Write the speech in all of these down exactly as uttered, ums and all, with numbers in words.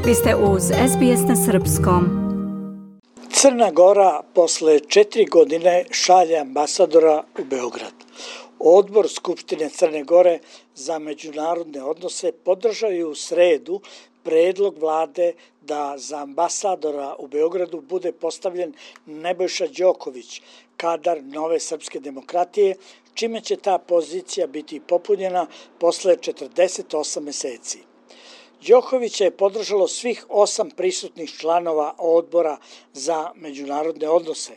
Vi ste uz es be es na srpskom. Crna Gora posle četiri godine šalje ambasadora u Beograd. Odbor Skupštine Crne Gore za međunarodne odnose podržao je u sredu predlog vlade da za ambasadora u Beogradu bude postavljen Nebojša Đoković, kadar Nove srpske demokratije, čime će ta pozicija biti popunjena posle četrdeset osam meseci. Đokovića je podržalo svih osam prisutnih članova odbora za međunarodne odnose.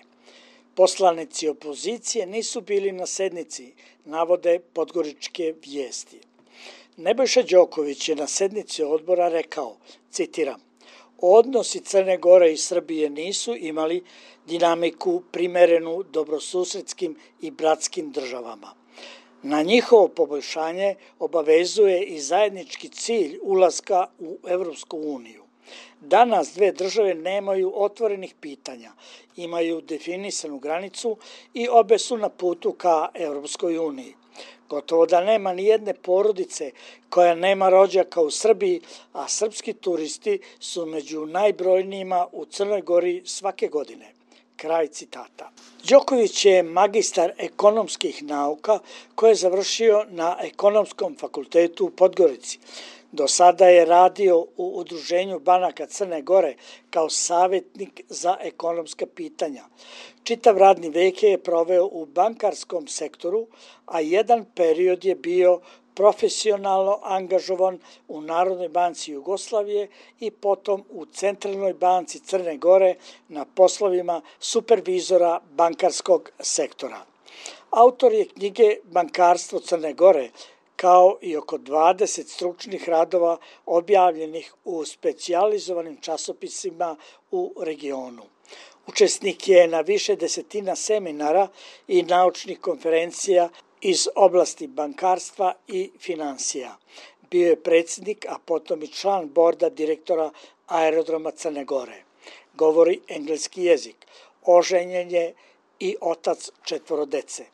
Poslanici opozicije nisu bili na sednici, navode podgoričke vijesti. Nebojša Đoković je na sednici odbora rekao, citiram, odnosi Crne Gore i Srbije nisu imali dinamiku primerenu dobrosusedskim i bratskim državama. Na njihovo poboljšanje obavezuje i zajednički cilj ulaska u Evropsku uniju. Danas dve države nemaju otvorenih pitanja, imaju definisanu granicu i obe su na putu ka Evropskoj uniji. Gotovo da nema ni jedne porodice koja nema rođaka u Srbiji, a srpski turisti su među najbrojnijima u Crnoj Gori svake godine. Kraj citata. Đoković je magistar ekonomskih nauka koje je završio na Ekonomskom fakultetu u Podgorici. Do sada je radio u Udruženju banaka Crne Gore kao savjetnik za ekonomska pitanja. Čitav radni vek je proveo u bankarskom sektoru, a jedan period je bio profesionalno angažovan u Narodnoj banci Jugoslavije i potom u Centralnoj banci Crne Gore na poslovima supervizora bankarskog sektora. Autor je knjige Bankarstvo Crne Gore, kao i oko dvadeset stručnih radova objavljenih u specijalizovanim časopisima u regionu. Učesnik je na više desetina seminara i naučnih konferencija iz oblasti bankarstva i finansija. Bio je predsjednik, a potom i član borda direktora Aerodroma Crne Gore. Govori engleski jezik. Oženjen je i otac četvoro dece.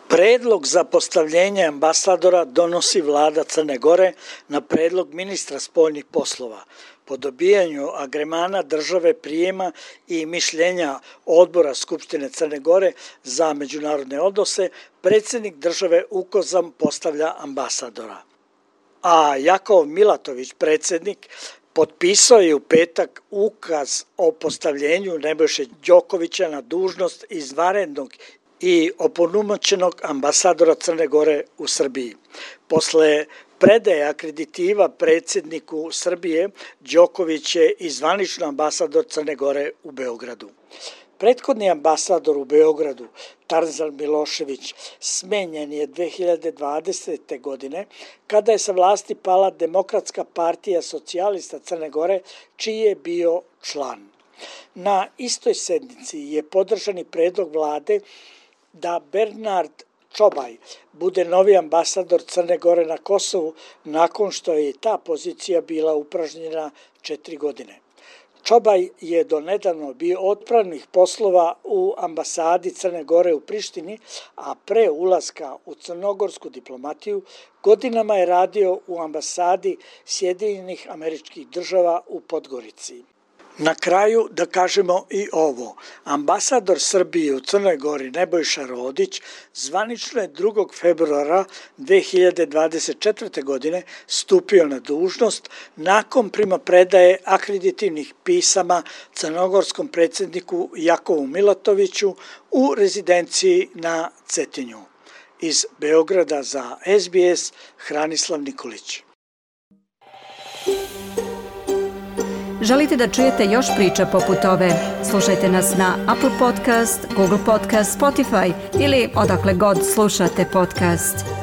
Predlog za postavljenje ambasadora donosi vlada Crne Gore na predlog ministra spoljnih poslova. Po dobijanju agremana države prijema i mišljenja odbora Skupštine Crne Gore za međunarodne odnose, predsjednik države ukazom postavlja ambasadora. A Jakov Milatović, predsjednik, potpisao je u petak ukaz o postavljenju Nebojše Đokovića na dužnost izvanrednog i opunomoćenog ambasadora Crne Gore u Srbiji. Posle predaje akreditiva predsjedniku Srbije, Đoković je i zvanično ambasador Crne Gore u Beogradu. Prethodni ambasador u Beogradu, Tarzan Milošević, smenjen je dve hiljade dvadesete. godine kada je sa vlasti pala Demokratska partija socijalista Crne Gore, čiji je bio član. Na istoj sednici je podržan i predlog vlade da Bernard Čobaj bude novi ambasador Crne Gore na Kosovu nakon što je ta pozicija bila upražnjena četiri godine. Čobaj je donedavno bio otpravnih poslova u ambasadi Crne Gore u Prištini, a pre ulaska u crnogorsku diplomatiju godinama je radio u ambasadi Sjedinjenih Američkih Država u Podgorici. Na kraju da kažemo i ovo. Ambasador Srbije u Crnoj Gori Nebojša Rodić zvanično je drugog februara dve hiljade dvadeset četvrte. godine stupio na dužnost nakon primopredaje akreditivnih pisama crnogorskom predsjedniku Jakovu Milatoviću u rezidenciji na Cetinju. Iz Beograda za es be es Hranislav Nikolić. Želite da čujete još priča poput ove? Slušajte nas na Apple Podcast, Google Podcast, Spotify ili odakle god slušate podcast.